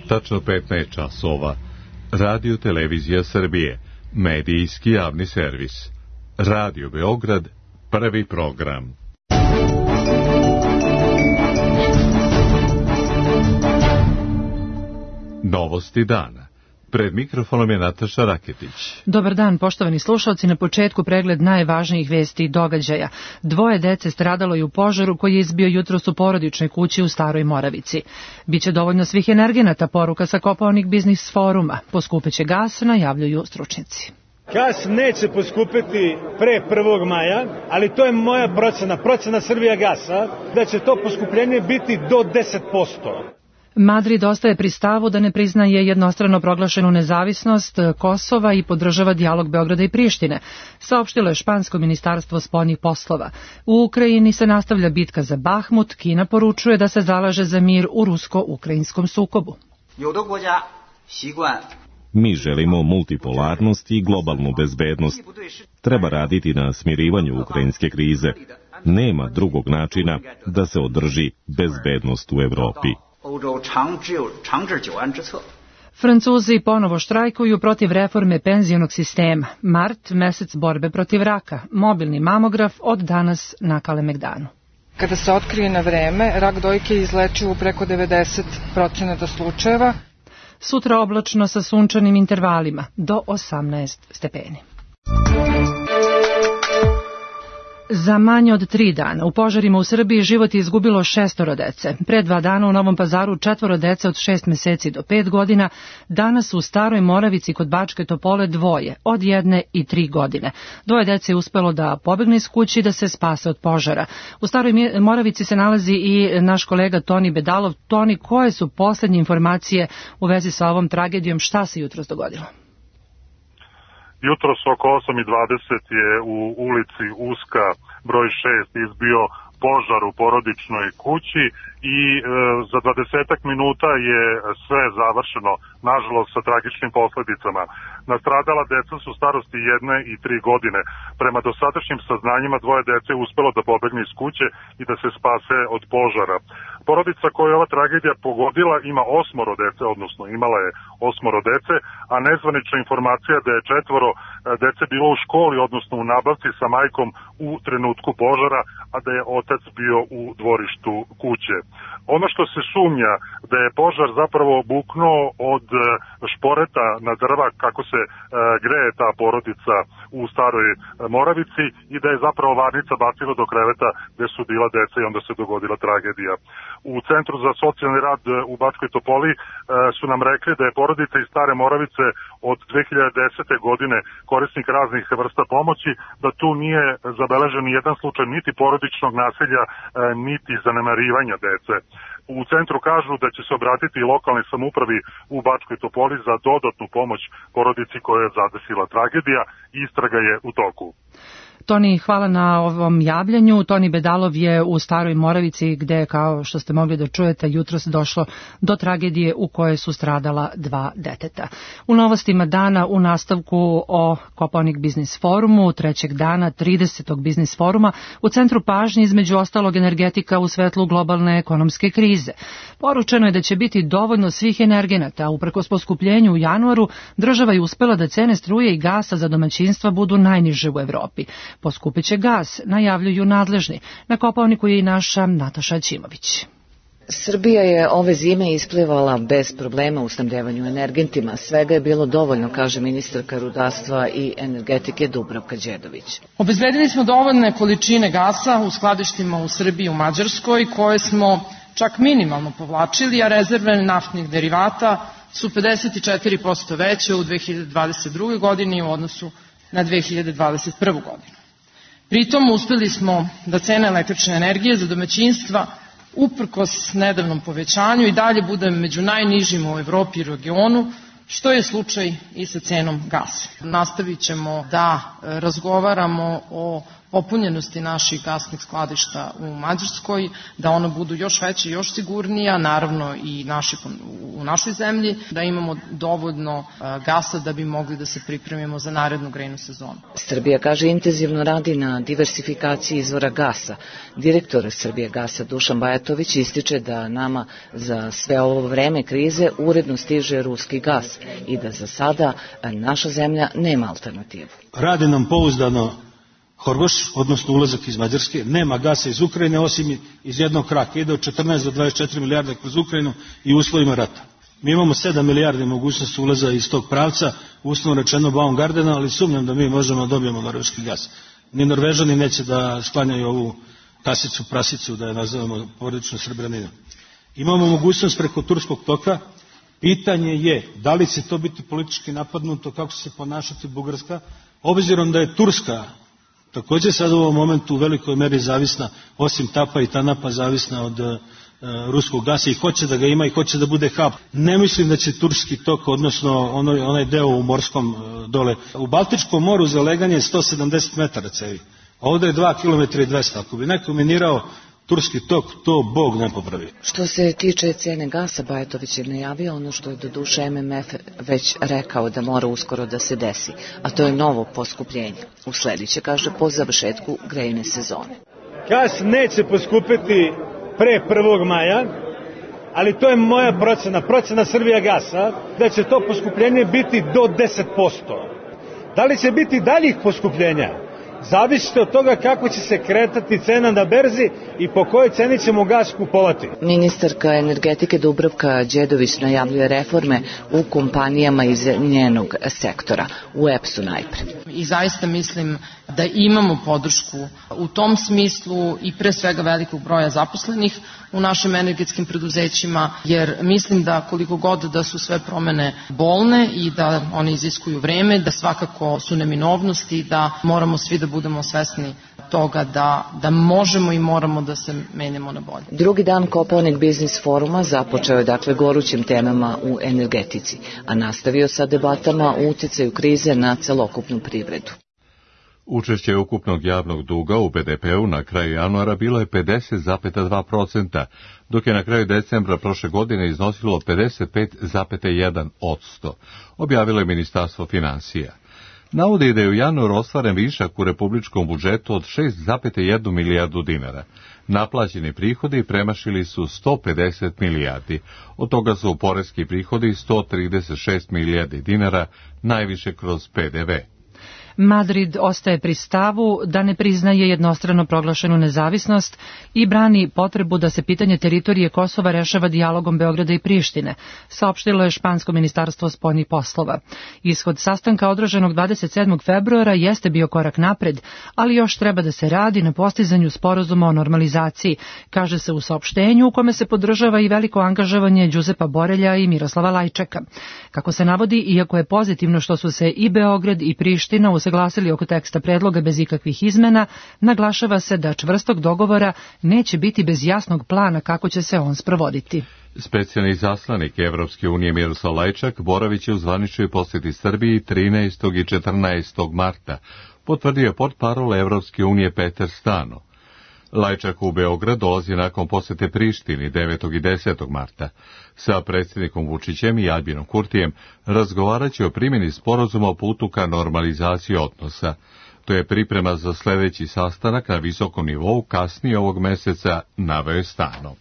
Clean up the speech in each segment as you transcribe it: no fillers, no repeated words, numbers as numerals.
tačno 15 časova. Radio Televizija Srbije, medijski javni servis. Radio Beograd, prvi program. Novosti dana. Pred mikrofonom je Nataša Raketić. Dobar dan, poštovani slušalci. Na početku pregled najvažnijih vesti i događaja. 2 dece stradalo je u požaru koji je izbio jutros u porodičnoj kući u Staroj Moravici. Biće dovoljno svih energenata, poruka sa Kopaonik biznis foruma. Poskupeće gas, najavljuju stručnjaci. Gas neće poskupiti pre 1. maja, ali to je moja procena Srbijagasa, da će to poskupljenje biti do 10%. Madrid ostaje pri stavu da ne priznaje jednostrano proglašenu nezavisnost Kosova i podržava dijalog Beograda i Prištine, saopštilo je špansko ministarstvo spoljnih poslova. U Ukrajini se nastavlja bitka za Bahmut, Kina poručuje da se zalaže za mir u rusko-ukrajinskom sukobu. Mi želimo multipolarnost i globalnu bezbednost. Treba raditi na smirivanju ukrajinske krize. Nema drugog načina da se održi bezbednost u Evropi. Francuzi ponovo štrajkuju protiv reforme penzionog sistema. Mart, mesec borbe protiv raka. Mobilni mamograf od danas na Kalemegdanu. Kada se otkrije na vreme, rak dojke je izlečiv u preko 90% slučajeva. Sutra oblačno sa sunčanim intervalima do 18 stepeni. Za manje od 3 dana u požarima u Srbiji život je izgubilo 6 dece. Pre 2 dana u Novom Pazaru 4 dece od 6 meseci do 5 godina. Danas u Staroj Moravici kod Bačke Topole 2 od 1 i 3 godine. 2 dece je uspelo da pobegne iz kući da se spase od požara. U Staroj Moravici se nalazi i naš kolega Toni Bedalov. Toni, koje su poslednje informacije u vezi sa ovom tragedijom? Šta se jutros dogodilo? Jutros oko 8:20 je u ulici Uska broj 6 izbio požar u porodičnoj kući i za 20 minuta je sve završeno, nažalost sa tragičnim posledicama. Nastradala deca su starosti 1 i 3 godine. Prema dosadašnjim saznanjima 2 dece je uspelo da pobegne iz kuće i da se spase od požara. Porodica koju je ova tragedija pogodila ima 8 dece, odnosno imala je 8 dece, a nezvanična informacija da je 4 dece bilo u školi, odnosno u nabavci sa majkom u trenutku požara, a da je otac bio u dvorištu kuće. Ono što se sumnja da je požar zapravo buknuo od šporeta na drva kako se greje ta porodica u Staroj Moravici i da je zapravo varnica bacila do kreveta gde su bila deca i onda se dogodila tragedija. U Centru za socijalni rad u Bačkoj Topoli su nam rekli da je porodica iz Stare Moravice od 2010. godine korisnik raznih vrsta pomoći, da tu nije zabeležen ni jedan slučaj niti porodičnog nasilja, niti zanemarivanja dece. U centru kažu da će se obratiti i lokalnoj samoupravi u Bačkoj Topoli za dodatnu pomoć porodici koja je zadesila tragedija. Istraga je u toku. Toni, hvala na ovom javljanju. Toni Bedalov je u Staroj Moravici gde, kao što ste mogli da čujete, jutros došlo do tragedije u kojoj su stradala 2 deteta. U novostima dana u nastavku o Kopaonik biznis forumu, 3. dana 30. biznis foruma, u centru pažnje između ostalog energetika u svetlu globalne ekonomske krize. Poručeno je da će biti dovoljno svih energenata, uprkos poskupljenju u januaru, država je uspela da cene struje i gasa za domaćinstva budu najniže u Evropi. Poskupiće gas, najavljuju nadležni. Na Kopaoniku je i naša Nataša Ćimović. Srbija je ove zime isplivala bez problema u snabdevanju energentima. Svega je bilo dovoljno, kaže ministarka rudarstva i energetike Dubravka Đedović. Obezbedili smo dovoljne količine gasa u skladištima u Srbiji i u Mađarskoj, koje smo čak minimalno povlačili, a rezerve naftnih derivata su 54% veće u 2022. godini u odnosu na 2021. godinu. Pritom uspeli smo da cene električne energije za domaćinstva uprkos nedavnom povećanju i dalje bude među najnižim u Evropi i regionu, što je slučaj i sa cenom gasa. Nastavit ćemo da razgovaramo o popunjenosti naših gasnih skladišta u Mađarskoj, da ona budu još veće, još sigurnija, naravno i u našoj zemlji, da imamo dovoljno gasa da bi mogli da se pripremimo za narednu grejnu sezonu. Srbija, kaže, intenzivno radi na diversifikaciji izvora gasa. Direktor Srbije gasa Dušan Bajatović ističe da nama za sve ovo vreme krize uredno stiže ruski gas i da za sada naša zemlja nema alternativu. Rade nam pouzdano Horgoš, odnosno ulazak iz Mađarske, nema gasa iz Ukrajine osim iz jednog kraka, ide od 14 do 24 milijarde kroz Ukrajinu i u uslovima rata. Mi imamo 7 milijardi mogućnosti ulaza iz tog pravca, uslovno rečeno Baumgardena, ali sumnjam da mi možemo da dobijemo norveški gas. Ni Norvežani neće da sklanjaju ovu kasicu prasicu, da je nazovemo porodično Srebreninu. Imamo mogućnost preko Turskog toka. Pitanje je da li će to biti politički napadnuto, kako će se ponašati Bugarska, obzirom da je Turska također sad u ovom momentu u velikoj meri zavisna, osim Tapa i Tanapa, zavisna od ruskog gasa i hoće da ga ima i hoće da bude hub. Ne mislim da će Turski tok, odnosno onaj deo u morskom dole. U Baltičkom moru za leganje je 170 metara cevi. Ovdje je 2 km i 200. Ako bi neko minirao Turski tok, to Bog ne popravi. Što se tiče cene gasa, Bajatović je najavio ono što je doduše MMF već rekao da mora uskoro da se desi, a to je novo poskupljenje. Uslediće, kaže, po završetku grejne sezone. Gas neće poskupiti pre 1. maja, ali to je moja procena Srbijagasa, da će to poskupljenje biti do 10%. Da li će biti daljih poskupljenja? Zavisite od toga kako će se kretati cena na berzi i po kojoj ceni ćemo gas kupovati. Ministarka energetike Dubravka Đedović najavljuje reforme u kompanijama iz njenog sektora, u EPS-u najpre. I zaista mislim da imamo podršku u tom smislu i pre svega velikog broja zaposlenih u našim energetskim preduzećima, jer mislim da koliko god da su sve promene bolne i da one iziskuju vreme, da svakako su neminovnosti, da moramo svi da budemo svesni toga da možemo i moramo da se menjamo na bolje. Drugi dan Kopaonik biznis foruma započeo je dakle gorućim temama u energetici, a nastavio sa debatama o uticaju krize na celokupnu privredu. Učešće ukupnog javnog duga u BDP-u na kraju januara bilo je 50,2%, dok je na kraju decembra prošle godine iznosilo 55,1%, objavilo je Ministarstvo finansija. Navodi da je u januaru ostvaren višak u republičkom budžetu od 6,1 milijardu dinara. Naplaćeni prihodi premašili su 150 milijardi, od toga su poreski prihodi 136 milijardi dinara, najviše kroz PDV. Madrid ostaje pri stavu da ne priznaje jednostrano proglašenu nezavisnost i brani potrebu da se pitanje teritorije Kosova rešava dijalogom Beograda i Prištine, saopštilo je špansko ministarstvo spoljnih poslova. Ishod sastanka održanog 27. februara jeste bio korak napred, ali još treba da se radi na postizanju sporazuma o normalizaciji, kaže se u saopštenju u kome se podržava i veliko angažovanje Đuzepa Borelja i Miroslava Lajčeka. Kako se navodi, iako je pozitivno što su se i Beograd i Priština usaglasili oko teksta predloga bez ikakvih izmena, naglašava se da čvrstog dogovora neće biti bez jasnog plana kako će se on sprovoditi. Specijalni izaslanik Evropske unije Miroslav Lajčak boravit će u zvaničnoj posjeti Srbiji 13. i 14. marta, potvrdio je portparol Evropske unije Peter Stano. Lajčak u Beograd dolazi nakon posjete Prištini 9. i 10. marta. Sa predsjednikom Vučićem i Albinom Kurtijem razgovarat će o primjeni sporazuma o putu ka normalizaciji odnosa. To je priprema za sljedeći sastanak na visokom nivou kasnije ovog meseca, naveo je Stano.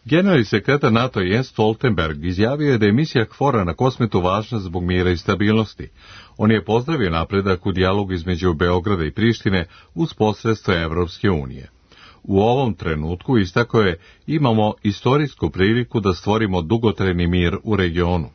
Generalni sekretar NATO Jens Stoltenberg izjavio je da je misija KFOR-a na Kosmetu važna zbog mira i stabilnosti. On je pozdravio napredak u dijalogu između Beograda i Prištine uz posredstvo Evropske unije. U ovom trenutku, istakao je, imamo istorijsku priliku da stvorimo dugotrajni mir u regionu.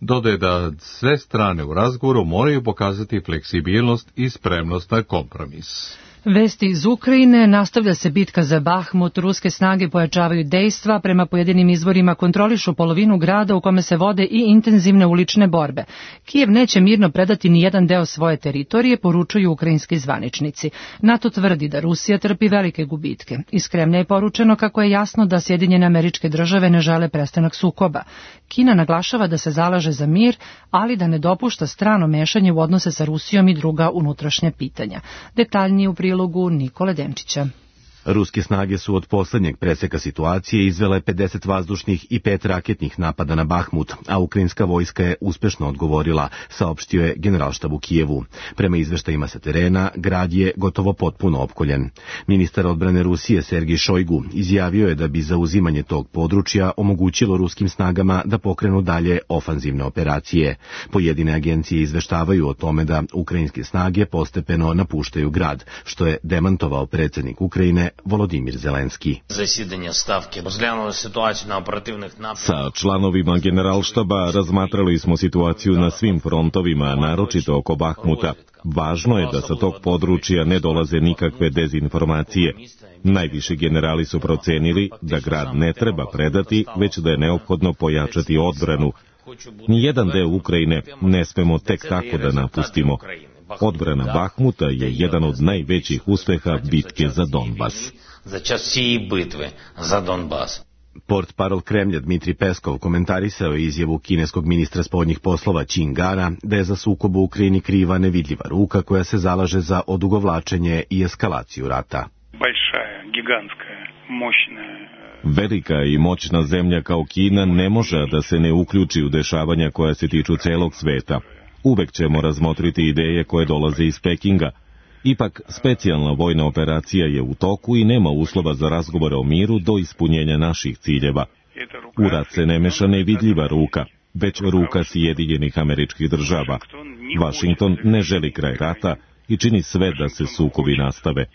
Dodaje da sve strane u razgovoru moraju pokazati fleksibilnost i spremnost na kompromis. Vesti iz Ukrajine, nastavlja se bitka za Bahmut, ruske snage pojačavaju dejstva, prema pojedinim izvorima kontrolišu polovinu grada u kome se vode i intenzivne ulične borbe. Kijev neće mirno predati ni jedan deo svoje teritorije, poručuju ukrajinski zvaničnici. NATO tvrdi da Rusija trpi velike gubitke. Iz Kremlja je poručeno kako je jasno da Sjedinjene Američke Države ne žele prestanak sukoba. Kina naglašava da se zalaže za mir, ali da ne dopušta strano mešanje u odnose sa Rusijom i druga unutrašnja pitanja. Detaljnije u prilogu Nikole Denčića. Ruske snage su od posljednjeg preseka situacije izvele 50 vazdušnih i 5 raketnih napada na Bahmut, a ukrajinska vojska je uspešno odgovorila, saopštio je Generalštab u Kijevu. Prema izveštajima sa terena, grad je gotovo potpuno opkoljen. Ministar odbrane Rusije Sergij Šojgu izjavio je da bi zauzimanje tog područja omogućilo ruskim snagama da pokrenu dalje ofanzivne operacije. Pojedine agencije izveštavaju o tome da ukrajinske snage postepeno napuštaju grad, što je demantovao predsjednik Ukrajine Volodimir Zelenski. Sa članovima Generalštaba razmatrali smo situaciju na svim frontovima, naročito oko Bahmuta. Važno je da sa tog područja ne dolaze nikakve dezinformacije. Najviši generali su procenili da grad ne treba predati, već da je neophodno pojačati odbranu. Nijedan deo Ukrajine ne smemo tek tako da napustimo. Odbrana Bahmuta je jedan od najvećih uspeha bitke za Donbas. Portparol Kremlja Dmitri Peskov komentarisao je izjavu kineskog ministra spoljnih poslova Qin Gana da je za sukob u Ukrajini kriva nevidljiva ruka koja se zalaže za odugovlačenje i eskalaciju rata. Velika i moćna zemlja kao Kina ne može da se ne uključi u dešavanja koja se tiču celog sveta. Uvek ćemo razmotriti ideje koje dolaze iz Pekinga. Ipak, specijalna vojna operacija je u toku i nema uslova za razgovore o miru do ispunjenja naših ciljeva. U rat se ne meša nevidljiva ruka, već ruka Sjedinjenih Američkih Država. Vašington ne želi kraj rata i čini sve da se sukobi nastave.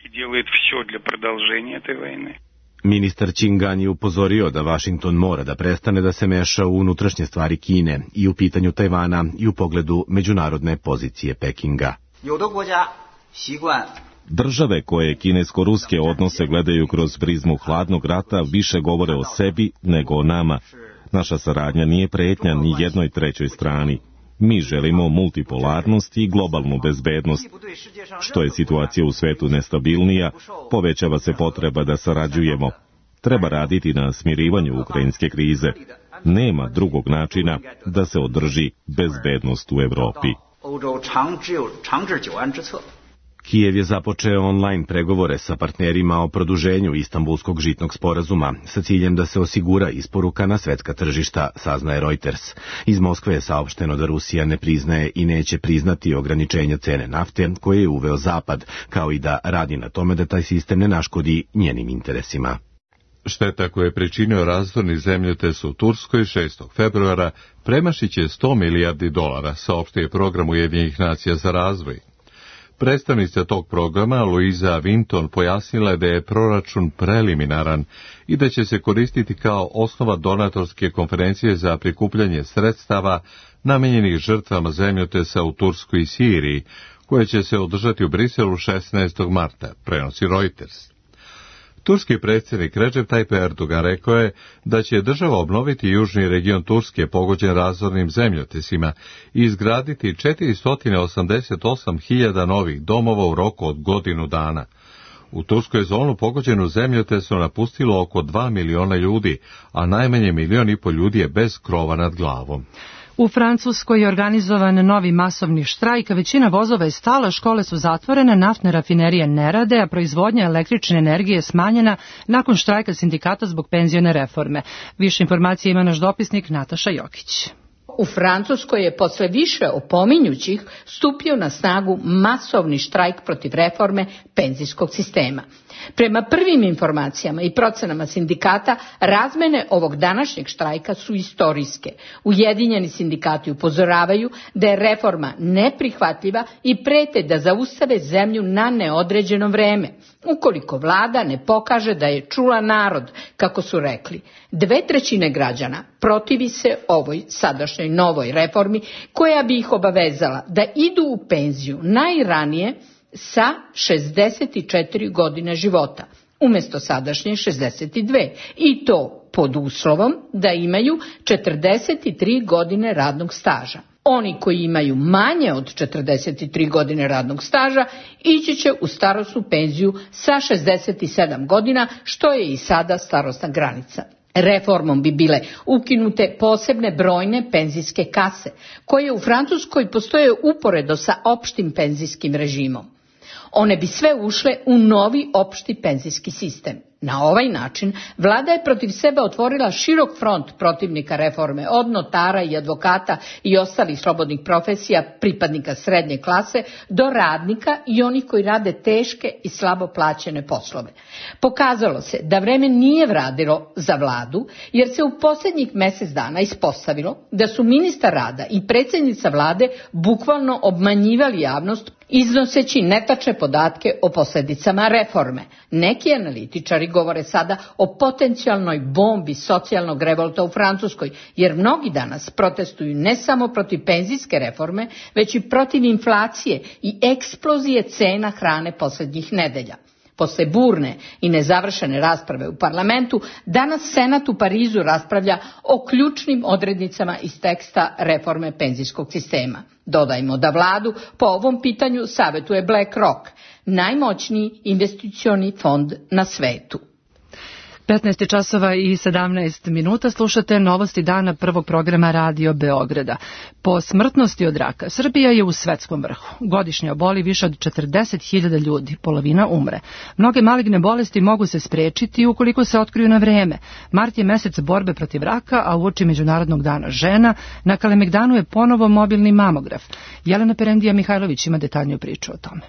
Ministar Qin Gan je upozorio da Vašington mora da prestane da se meša u unutrašnje stvari Kine i u pitanju Tajvana i u pogledu međunarodne pozicije Pekinga. Države koje kinesko-ruske odnose gledaju kroz prizmu hladnog rata više govore o sebi nego o nama. Naša saradnja nije pretnja ni jednoj trećoj strani. Mi želimo multipolarnost i globalnu bezbednost. Što je situacija u svetu nestabilnija, povećava se potreba da sarađujemo. Treba raditi na smirivanju ukrajinske krize. Nema drugog načina da se održi bezbednost u Evropi. Kijev je započeo online pregovore sa partnerima o produženju Istanbulskog žitnog sporazuma sa ciljem da se osigura isporuka na svetska tržišta, saznaje Reuters. Iz Moskve je saopšteno da Rusija ne priznaje i neće priznati ograničenja cene nafte koje je uveo Zapad, kao i da radi na tome da taj sistem ne naškodi njenim interesima. Šteta koju je pričinio razorni zemljotres u Turskoj 6. februara premašiće $100 milijardi, saopštio je program Ujedinjenih nacija za razvoj. Predstavnica tog programa, Louisa Winton, pojasnila je da je proračun preliminaran i da će se koristiti kao osnova donatorske konferencije za prikupljanje sredstava namenjenih žrtvama zemljotresa u Turskoj i Siriji, koja će se održati u Briselu 16. marta, prenosi Reuters. Turski predsjednik Recep Tayyip Erdogan rekao je da će država obnoviti južni region Turske pogođen razornim zemljotresima i izgraditi 488.000 novih domova u roku od godinu dana. U Turskoj zonu pogođenu zemljotresom napustilo oko 2 miliona ljudi, a najmanje 1,5 miliona ljudi je bez krova nad glavom. U Francuskoj je organizovan novi masovni štrajk, većina vozova je stala, škole su zatvorene, naftne rafinerije ne rade, a proizvodnja električne energije je smanjena nakon štrajka sindikata zbog penzione reforme. Više informacije ima naš dopisnik Nataša Jokić. U Francuskoj je posle više opominjućih stupio na snagu masovni štrajk protiv reforme penzijskog sistema. Prema prvim informacijama i procenama sindikata, razmene ovog današnjeg štrajka su istorijske. Ujedinjeni sindikati upozoravaju da je reforma neprihvatljiva i prete da zaustave zemlju na neodređeno vreme, ukoliko vlada ne pokaže da je čula narod, kako su rekli. 2/3 građana protivi se ovoj sadašnjoj novoj reformi koja bi ih obavezala da idu u penziju najranije sa 64 godine života, umjesto sadašnje 62, i to pod uslovom da imaju 43 godine radnog staža. Oni koji imaju manje od 43 godine radnog staža ići će u starosnu penziju sa 67 godina, što je i sada starosna granica. Reformom bi bile ukinute posebne brojne penzijske kase, koje u Francuskoj postoje uporedo sa opštim penzijskim režimom. One bi sve ušle u novi opšti penzijski sistem. Na ovaj način vlada je protiv sebe otvorila širok front protivnika reforme, od notara i advokata i ostalih slobodnih profesija, pripadnika srednje klase, do radnika i onih koji rade teške i slabo plaćene poslove. Pokazalo se da vreme nije vradilo za vladu, jer se u posljednjih mjesec dana ispostavilo da su ministar rada i predsjednica vlade bukvalno obmanjivali javnost iznoseći netačne podatke o posljedicama reforme. Neki analitičari govore sada o potencijalnoj bombi socijalnog revolta u Francuskoj, jer mnogi danas protestuju ne samo protiv penzijske reforme, već i protiv inflacije i eksplozije cena hrane posljednjih nedelja. Posle burne i nezavršene rasprave u parlamentu, danas Senat u Parizu raspravlja o ključnim odrednicama iz teksta reforme penzijskog sistema. Dodajmo da vladu po ovom pitanju savjetuje BlackRock, najmoćniji investicioni fond na svetu. 15 časova i 17 minuta slušate novosti dana prvog programa Radio Beograda. Po smrtnosti od raka, Srbija je u svetskom vrhu. Godišnje oboli više od 40.000 ljudi, polovina umre. Mnoge maligne bolesti mogu se sprečiti ukoliko se otkriju na vreme. Mart je mesec borbe protiv raka, a uoči Međunarodnog dana žena na Kalemegdanu je ponovo mobilni mamograf. Jelena Perendija Mihajlović ima detaljniju priču o tome.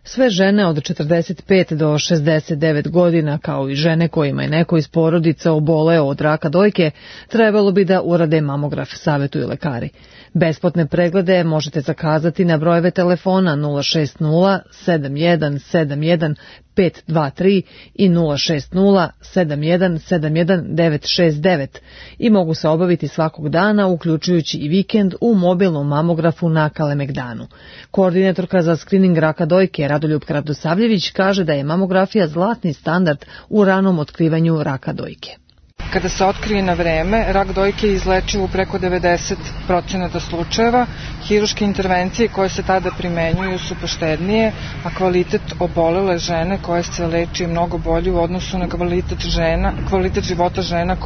Sve žene od 45 do 69 godina, kao i žene kojima je neko iz porodica oboleo od raka dojke, trebalo bi da urade mamograf, savjetuju lekari. Besplatne preglede možete zakazati na brojeve telefona 060 7171 523 i 060 7171 969 i mogu se obaviti svakog dana, uključujući i vikend, u mobilnom mamografu na Kalemegdanu. Koordinatorka za skrining raka dojke Radoljupka Radosavljević kaže da je mamografija zlatni standard u ranom otkrivanju raka dojke. Kada se otkrije na vreme, rak dojke je izlečiv u preko 90% slučajeva. Hiruške intervencije koje se tada primenjuju su poštednije, a kvalitet obolele žene koje se leči je mnogo bolji u odnosu na kvalitet života žena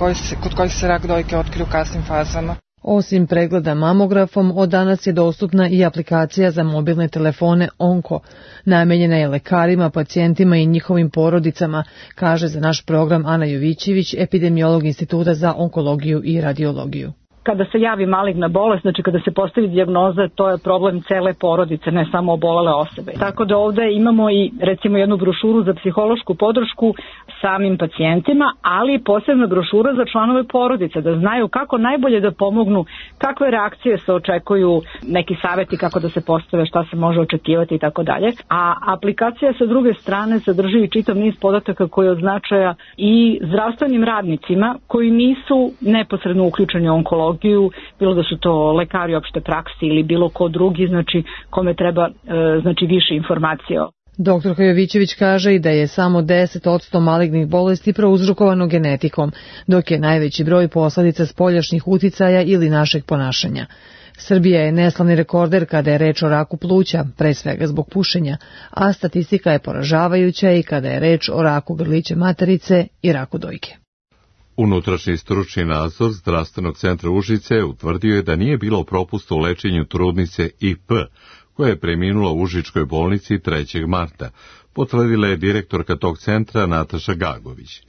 kod kojih se rak dojke otkrije u kasnim fazama. Osim pregleda mamografom, od danas je dostupna i aplikacija za mobilne telefone Onko. Namenjena je lekarima, pacijentima i njihovim porodicama, kaže za naš program Ana Jovićević, epidemiolog Instituta za onkologiju i radiologiju. Kada se javi maligna bolest, znači kada se postavi dijagnoza, to je problem cele porodice, ne samo obolele osobe. Tako da ovdje imamo i recimo jednu brošuru za psihološku podršku samim pacijentima, ali i posebna brošura za članove porodice, da znaju kako najbolje da pomognu, kakve reakcije se očekuju, neki savjeti kako da se postave, šta se može očekivati i tako dalje. A aplikacija sa druge strane sadrži i čitav niz podataka koji od značaja i zdravstvenim radnicima koji nisu neposredno uključeni u onkologiju, bilo da su to lekari opšte prakse ili bilo ko drugi, znači kome treba više informacije. Doktorka Jovićević kaže i da je samo 10% malignih bolesti prouzrokovano genetikom, dok je najveći broj posledica spoljašnjih uticaja ili našeg ponašanja. Srbija je neslavni rekorder kada je reč o raku pluća, pre svega zbog pušenja, a statistika je poražavajuća i kada je reč o raku grlića materice i raku dojke. Unutrašnji stručni nadzor Zdravstvenog centra Užice utvrdio je da nije bilo propusta u lečenju trudnice IP, koja je preminula u Užičkoj bolnici 3. marta, potvrdila je direktorka tog centra Nataša Gagović.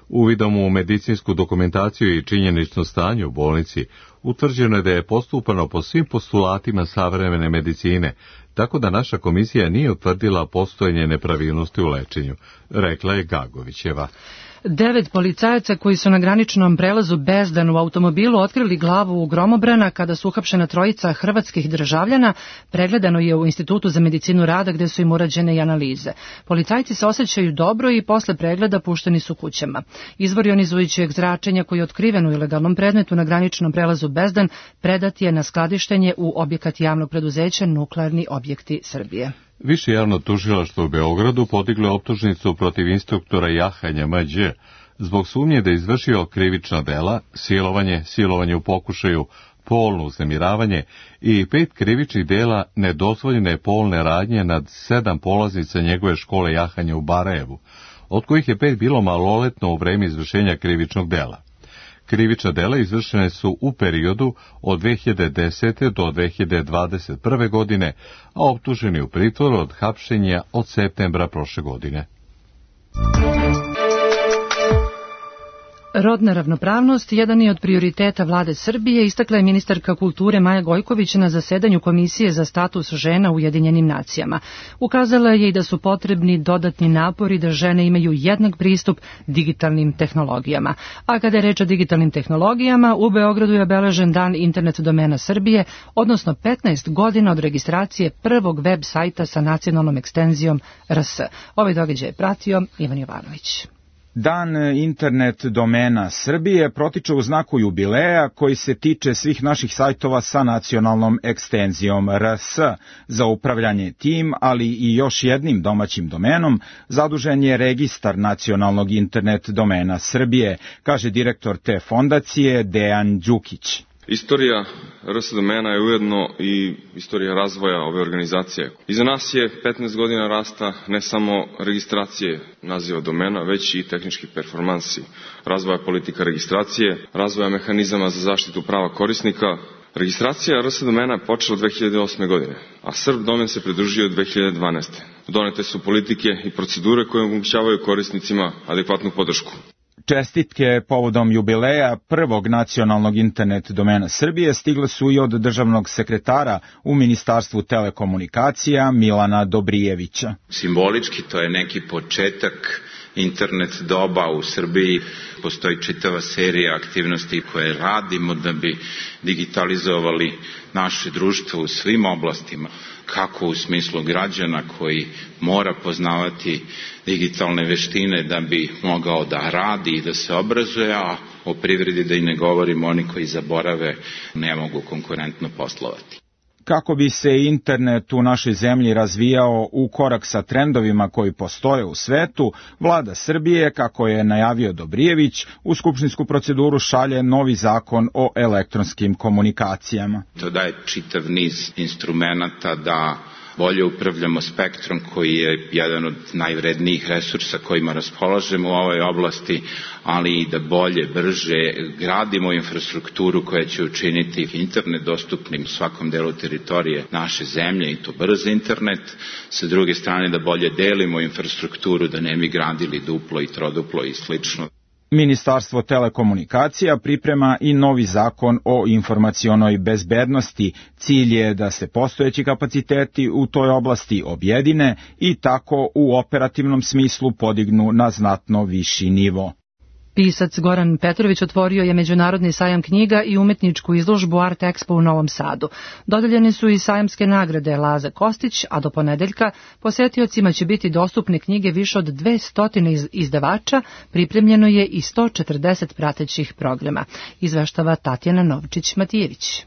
Uvidom u medicinsku dokumentaciju i činjenično stanje u bolnici utvrđeno je da je postupano po svim postulatima savremene medicine, tako da naša komisija nije utvrdila postojanje nepravilnosti u lečenju, rekla je Gagovićeva. 9 policajaca koji su na graničnom prelazu Bezdan u automobilu otkrili glavu u gromobrana kada su uhapšena trojica hrvatskih državljana, pregledano je u Institutu za medicinu rada gde su im urađene i analize. Policajci se osjećaju dobro i posle pregleda pušteni su kućama. Izvor jonizujućeg zračenja koji je otkriven u ilegalnom predmetu na graničnom prelazu Bezdan predat je na skladištenje u objekat javnog preduzeća Nuklearni objekti Srbije. Više javno tužilaštvo u Beogradu podiglo je optužnicu protiv instruktora jahanja Mđ zbog sumnje da je izvršio krivična dela, silovanje u pokušaju, polno uznemiravanje i 5 krivičnih dela nedozvoljene polne radnje nad 7 polaznica njegove škole jahanja u Barajevu, od kojih je 5 bilo maloletno u vreme izvršenja krivičnog dela. Krivična dela izvršene su u periodu od 2010. do 2021. godine, a optuženi u pritvoru od hapšenja od septembra prošle godine. Rodna ravnopravnost jedan je od prioriteta vlade Srbije, istakla je ministarka kulture Maja Gojković na zasedanju Komisije za status žena u Ujedinjenim nacijama. Ukazala je i da su potrebni dodatni napori da žene imaju jednak pristup digitalnim tehnologijama. A kada je reč o digitalnim tehnologijama, u Beogradu je obeležen dan internet domena Srbije, odnosno 15 godina od registracije prvog web sajta sa nacionalnom ekstenzijom RS. Ovaj događaj je pratio Ivan Jovanović. Dan internet domena Srbije protiče u znaku jubileja koji se tiče svih naših sajtova sa nacionalnom ekstenzijom RS. Za upravljanje tim, ali i još jednim domaćim domenom, zadužen je registar nacionalnog internet domena Srbije, kaže direktor te fondacije Dejan Đukić. Istorija RS domena je ujedno i istorija razvoja ove organizacije. Iza nas je 15 godina rasta ne samo registracije naziva domena, već i tehnički performansi, razvoja politika registracije, razvoja mehanizama za zaštitu prava korisnika. Registracija RS domena je počela 2008. godine, a Srb domen se pridružio 2012. Donete su politike i procedure koje omogućavaju korisnicima adekvatnu podršku. Čestitke povodom jubileja prvog nacionalnog internet domena Srbije stigle su i od državnog sekretara u Ministarstvu telekomunikacija Milana Dobrijevića. Simbolički to je neki početak internet doba u Srbiji. Postoji čitava serija aktivnosti koje radimo da bi digitalizovali naše društvo u svim oblastima, kako u smislu građana koji mora poznavati digitalne veštine da bi mogao da radi i da se obrazuje, a o privredi da i ne govorimo, oni koji zaborave ne mogu konkurentno poslovati. Kako bi se internet u našoj zemlji razvijao u korak sa trendovima koji postoje u svetu, vlada Srbije, kako je najavio Dobrijević, u skupštinsku proceduru šalje novi zakon o elektronskim komunikacijama. To daje čitav niz instrumenata da bolje upravljamo spektrom koji je jedan od najvrednijih resursa kojima raspolažemo u ovoj oblasti, ali i da bolje, brže gradimo infrastrukturu koja će učiniti internet dostupnim u svakom delu teritorije naše zemlje i to brz internet. Sa druge strane da bolje delimo infrastrukturu, da ne bi gradili duplo i troduplo i slično. Ministarstvo telekomunikacija priprema i novi zakon o informacionoj bezbednosti. Cilj je da se postojeći kapaciteti u toj oblasti objedine i tako u operativnom smislu podignu na znatno viši nivo. Pisac Goran Petrović otvorio je Međunarodni sajam knjiga i umetničku izložbu Art Expo u Novom Sadu. Dodeljene su i sajamske nagrade Laza Kostić, a do ponedeljka posetiocima će biti dostupne knjige više od 200 izdavača, pripremljeno je i 140 pratećih programa. Izveštava Tatjana Novčić-Matijević.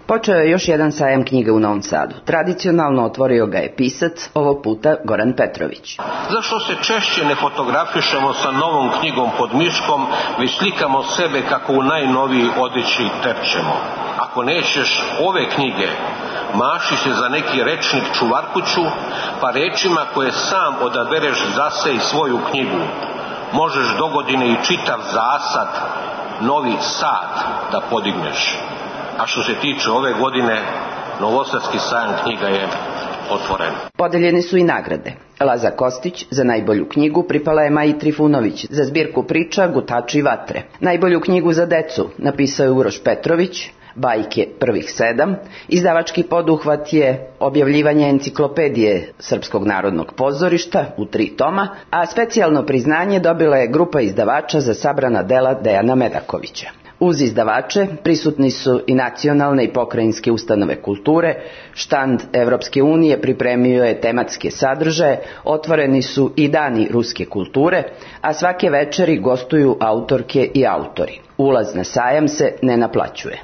Počeo je još jedan sajam knjiga u Novom Sadu. Tradicionalno otvorio ga je pisac, ovog puta Goran Petrović. Zašto se češće ne fotografišemo sa novom knjigom pod miškom, već slikamo sebe kako u najnoviji odeći terčemo? Ako nećeš ove knjige, maši se za neki rečnik čuvarkuću, pa rečima koje sam odabereš zase i svoju knjigu. Možeš dogodine i čitav zasad, Novi Sad, da podigneš. A što se tiče ove godine, Novosadski sajam knjiga je otvoren. Podeljene su i nagrade. Laza Kostić za najbolju knjigu pripala je Maji Trifunović za zbirku priča Gutači vatre. Najbolju knjigu za decu napisao je Uroš Petrović, Bajke prvih 7. Izdavački poduhvat je objavljivanje enciklopedije Srpskog narodnog pozorišta u 3 toma, a specijalno priznanje dobila je grupa izdavača za sabrana dela Dejana Medakovića. Uz izdavače prisutni su i nacionalne i pokrajinske ustanove kulture, štand Evropske unije pripremio je tematske sadržaje, otvoreni su i dani ruske kulture, a svake večeri gostuju autorke i autori. Ulaz na sajam se ne naplaćuje.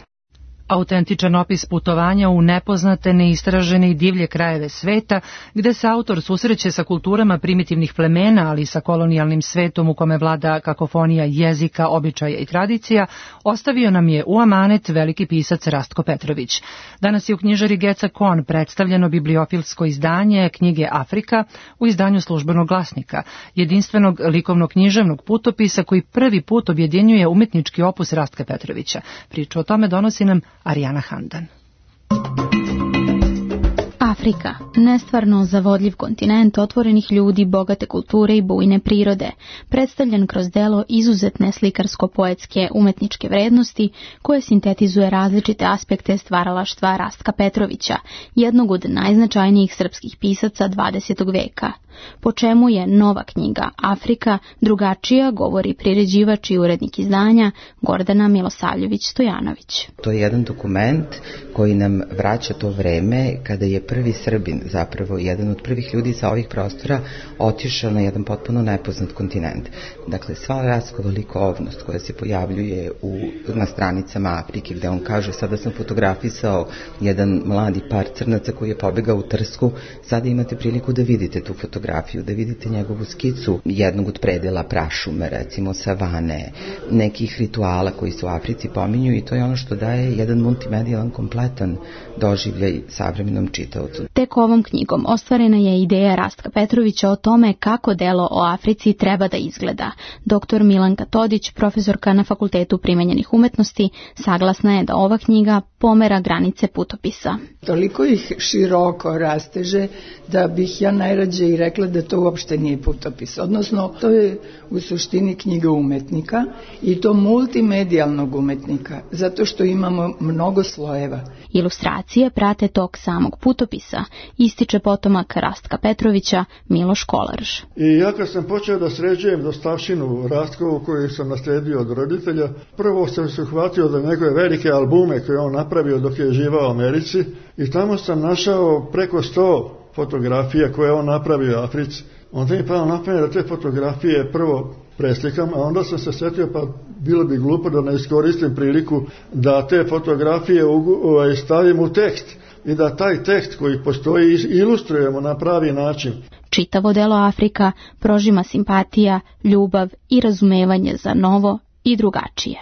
Autentičan opis putovanja u nepoznate, neistražene i divlje krajeve sveta, gde se autor susreće sa kulturama primitivnih plemena, ali i sa kolonijalnim svetom u kome vlada kakofonija jezika, običaja i tradicija, ostavio nam je u amanet veliki pisac Rastko Petrović. Danas je u knjižari Geca Kon predstavljeno bibliofilsko izdanje knjige Afrika u izdanju Službenog glasnika, jedinstvenog likovno-književnog putopisa koji prvi put objedinjuje umetnički opus Rastka Petrovića. Priču o tome donosi nam Arijana Handan. Afrika, nestvarno zavodljiv kontinent otvorenih ljudi, bogate kulture i bujne prirode, predstavljen kroz delo izuzetne slikarsko-poetske umetničke vrednosti koje sintetizuje različite aspekte stvaralaštva Rastka Petrovića, jednog od najznačajnijih srpskih pisaca 20. veka. Po čemu je nova knjiga Afrika drugačija, govori priređivač i urednik izdanja Gordana Milosavljević-Stojanović. To je jedan dokument koji nam vraća to vreme kada je prvi Srbin, zapravo jedan od prvih ljudi sa ovih prostora, otišao na jedan potpuno nepoznat kontinent. Dakle, sva Rastkova likovnost koja se pojavljuje na stranicama Afrike, gde on kaže: sada sam fotografisao jedan mladi par crnaca koji je pobegao u trsku, sada imate priliku da vidite tu fotografiju, da vidite njegovu skicu jednog od predela prašume, recimo savane, nekih rituala koji se u Africi pominju, i to je ono što daje jedan multimedijalan kompletan doživljaj savremenom čitaocu. Tek ovom knjigom ostvarena je ideja Rastka Petrovića o tome kako delo o Africi treba da izgleda. Dr. Milanka Todić, profesorka na Fakultetu primenjenih umetnosti, saglasna je da ova knjiga pomera granice putopisa. Toliko ih široko rasteže da bih ja najrađe i rekla da to uopšte nije putopis. Odnosno, to je u suštini knjiga umetnika, i to multimedijalnog umetnika, zato što imamo mnogo slojeva. Ilustracije prate tok samog putopisa, ističe potomak Rastka Petrovića Miloš Kolarž. I ja kad sam počeo da sređujem dostavštinu Rastkovu koju sam nasledio od roditelja, prvo sam se uhvatio da njegove velike albume koje on napravio dok je živao u Americi, i tamo sam našao preko 100 fotografija koje on napravio u Africi. Onda mi pao na pamet da te fotografije prvo preslikam, a onda sam se sjetio, pa bilo bi glupo da ne iskoristim priliku da te fotografije stavim u tekst i da taj tekst koji postoji ilustrujemo na pravi način. Čitavo delo Afrika prožima simpatija, ljubav i razumevanje za novo i drugačije.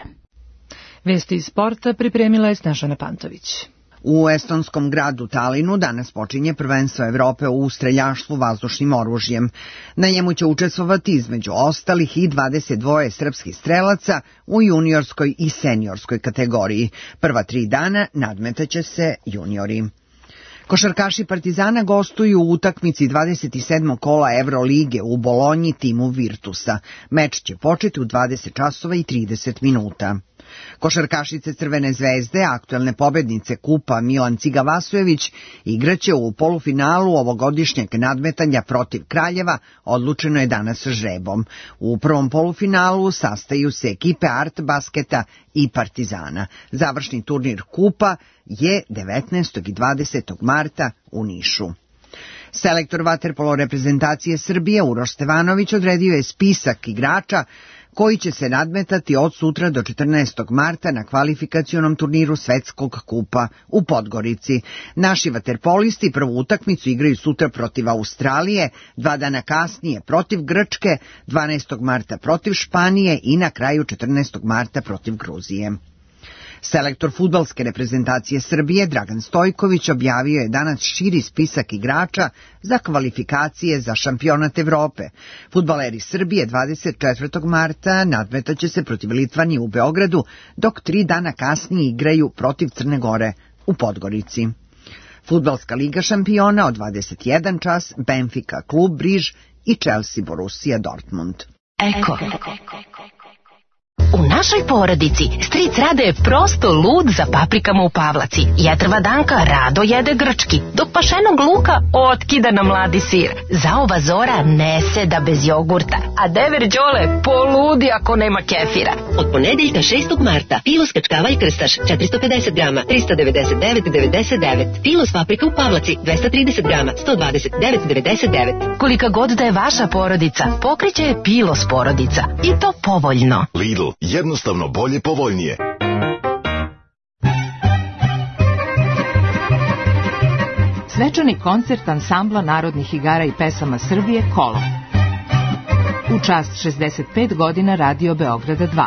Vesti iz sporta pripremila je Snežana Pantović. U estonskom gradu Talinu danas počinje prvenstvo Evrope u streljaštvu vazdušnim oružjem. Na njemu će učestvovati između ostalih i 22 srpskih strelaca u juniorskoj i seniorskoj kategoriji. Prva 3 dana nadmetaće se juniori. Košarkaši Partizana gostuju u utakmici 27. kola Evrolige u Bolonji timu Virtusa. Meč će početi u 20 časova i 30 minuta. Košarkašice Crvene zvezde, aktuelne pobednice kupa Milan Ciga Vasojević, igraće u polufinalu ovogodišnjeg nadmetanja protiv Kraljeva, odlučeno je danas žrebom. U prvom polufinalu sastaju se ekipe Art Basketa i Partizana. Završni turnir kupa je 19. i 20. marta u Nišu. Selektor vaterpolo reprezentacije Srbije Uroš Stevanović odredio je spisak igrača koji će se nadmetati od sutra do 14. marta na kvalifikacionom turniru Svetskog kupa u Podgorici. Naši vaterpolisti prvu utakmicu igraju sutra protiv Australije, 2 dana kasnije protiv Grčke, 12. marta protiv Španije i na kraju 14. marta protiv Gruzije. Selektor fudbalske reprezentacije Srbije Dragan Stojković objavio je danas širi spisak igrača za kvalifikacije za šampionat Evrope. Fudbaleri Srbije 24. marta nadmetaće se protiv Litvanije u Beogradu, dok 3 dana kasnije igraju protiv Crne Gore u Podgorici. Fudbalska liga šampiona od 21 čas, Benfica klub Briž i Chelsea Borussia Dortmund. Eko. U našoj porodici stric Rade je prosto lud za paprikama u Pavlaci. Jetrva Danka rado jede grčki, dok pašenog luka otkida na mladi sir. Zaova Zora ne seda bez jogurta, a dever Đole poludi ako nema kefira. Od ponedeljka 6. marta Pilos kačkavalj krstaš 450 grama 399,99. Pilos paprika u Pavlaci 230 grama 129,99. Kolika god da je vaša porodica, pokriće je Pilos porodica. I to povoljno. Lidl, jednostavno bolje, povoljnije. svečani koncert ansambla narodnih igara i pesama Srbije Kolo. U čast 65 godina Radio Beograda 2.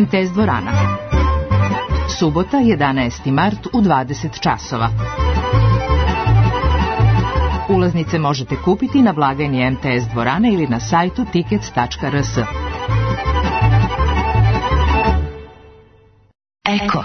MTS dvorana. Subota, 11. mart u 20 časova. Ulaznice možete kupiti na blagajni MTS dvorane ili na sajtu tickets.rs. Eko.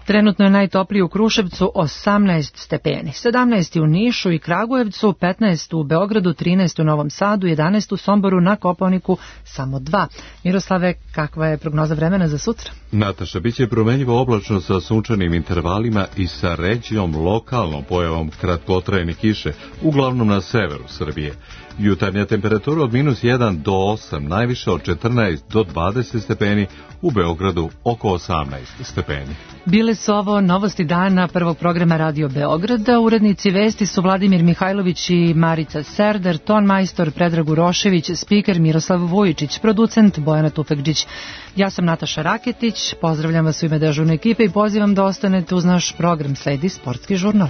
Trenutno je najtopliji u Kruševcu 18 stepeni, 17 u Nišu i Kragujevcu, 15 u Beogradu, 13 u Novom Sadu, 11 u Somboru, na Kopaoniku samo 2. Miroslave, kakva je prognoza vremena za sutra? Nataša, bit će promenjivo oblačno sa sunčanim intervalima i sa ređom lokalnom pojavom kratkotrajne kiše, uglavnom na severu Srbije. Jutarnja temperatura od -1 do 8, najviše od 14 do 20 stepeni, u Beogradu oko 18 stepeni. Bile su ovo novosti dana prvog programa Radio Beograda. Urednici vesti su Vladimir Mihajlović i Marica Serdar, ton majstor Predrag Urošević, spiker Miroslav Vujičić, producent Bojana Tufekđić. Ja sam Nataša Raketić, pozdravljam vas u ime dežurne ekipe i pozivam da ostanete uz naš program. Sledi Sportski žurnal.